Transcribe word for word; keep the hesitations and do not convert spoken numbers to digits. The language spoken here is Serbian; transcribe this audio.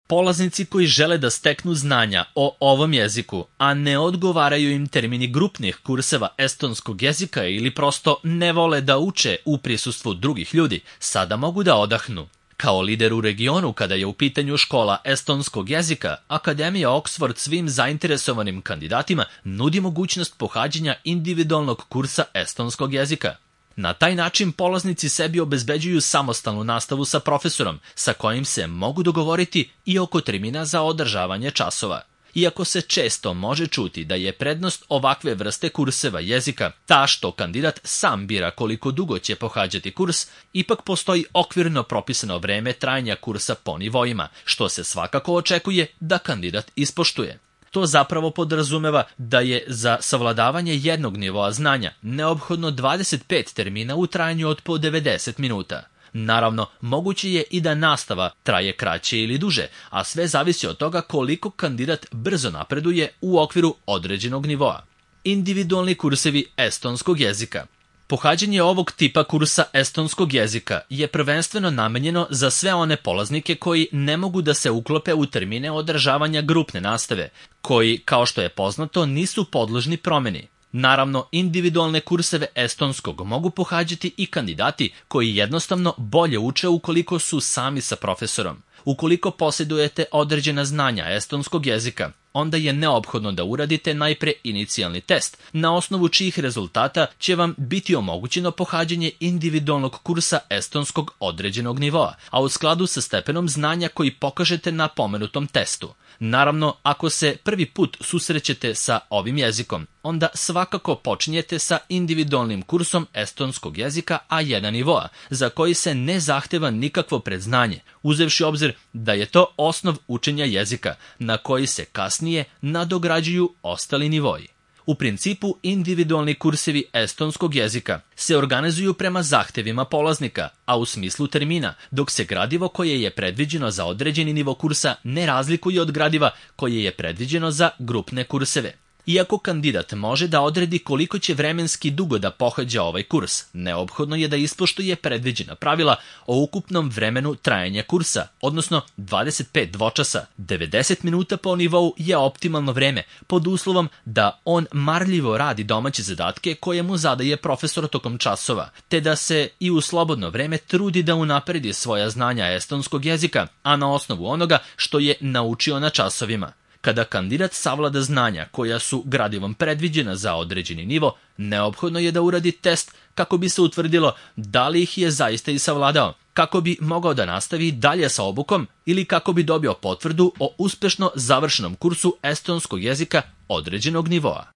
Polaznici koji žele da steknu znanja o ovom jeziku, a ne odgovaraju im termini grupnih kurseva estonskog jezika ili prosto ne vole da uče u prisustvu drugih ljudi, sada mogu da odahnu. Kao lider u regionu kada je u pitanju škola estonskog jezika, Akademija Oxford svim zainteresovanim kandidatima nudi mogućnost pohađanja individualnog kursa estonskog jezika. Na taj način polaznici sebi obezbeđuju samostalnu nastavu sa profesorom, sa kojim se mogu dogovoriti i oko termina za održavanje časova. Iako se često može čuti da je prednost ovakve vrste kurseva jezika ta što kandidat sam bira koliko dugo će pohađati kurs, ipak postoji okvirno propisano vreme trajanja kursa po nivoima, što se svakako očekuje da kandidat ispoštuje. To zapravo podrazumeva da je za savladavanje jednog nivoa znanja neophodno dvadeset pet termina u trajanju od po devedeset minuta. Naravno, moguće je i da nastava traje kraće ili duže, a sve zavisi od toga koliko kandidat brzo napreduje u okviru određenog nivoa. Individualni kursevi estonskog jezika. Pohađanje ovog tipa kursa estonskog jezika je prvenstveno namenjeno za sve one polaznike koji ne mogu da se uklope u termine održavanja grupne nastave, koji, kao što je poznato, nisu podložni promeni. Naravno, individualne kurseve estonskog mogu pohađati i kandidati koji jednostavno bolje uče ukoliko su sami sa profesorom. Ukoliko posjedujete određena znanja estonskog jezika, onda je neophodno da uradite najpre inicijalni test, na osnovu čijih rezultata će vam biti omogućeno pohađanje individualnog kursa estonskog određenog nivoa, a u skladu sa stepenom znanja koji pokažete na pomenutom testu. Naravno, ako se prvi put susrećete sa ovim jezikom, onda svakako počinjete sa individualnim kursom estonskog jezika A jedan nivoa, za koji se ne zahteva nikakvo predznanje, uzevši obzir da je to osnov učenja jezika, na koji se kasnije nadograđuju ostali nivoi. U principu, individualni kursevi estonskog jezika se organizuju prema zahtevima polaznika, a u smislu termina, dok se gradivo koje je predviđeno za određeni nivo kursa ne razlikuje od gradiva koje je predviđeno za grupne kurseve. Iako kandidat može da odredi koliko će vremenski dugo da pohađa ovaj kurs, neophodno je da ispoštuje predviđena pravila o ukupnom vremenu trajanja kursa, odnosno dvadeset pet dvočasa. devedeset minuta po nivou je optimalno vreme, pod uslovom da on marljivo radi domaće zadatke koje mu zadaje profesor tokom časova, te da se i u slobodno vreme trudi da unapredi svoja znanja estonskog jezika, a na osnovu onoga što je naučio na časovima. Kada kandidat savlada znanja koja su gradivom predviđena za određeni nivo, neophodno je da uradi test kako bi se utvrdilo da li ih je zaista i savladao, kako bi mogao da nastavi dalje sa obukom ili kako bi dobio potvrdu o uspešno završenom kursu estonskog jezika određenog nivoa.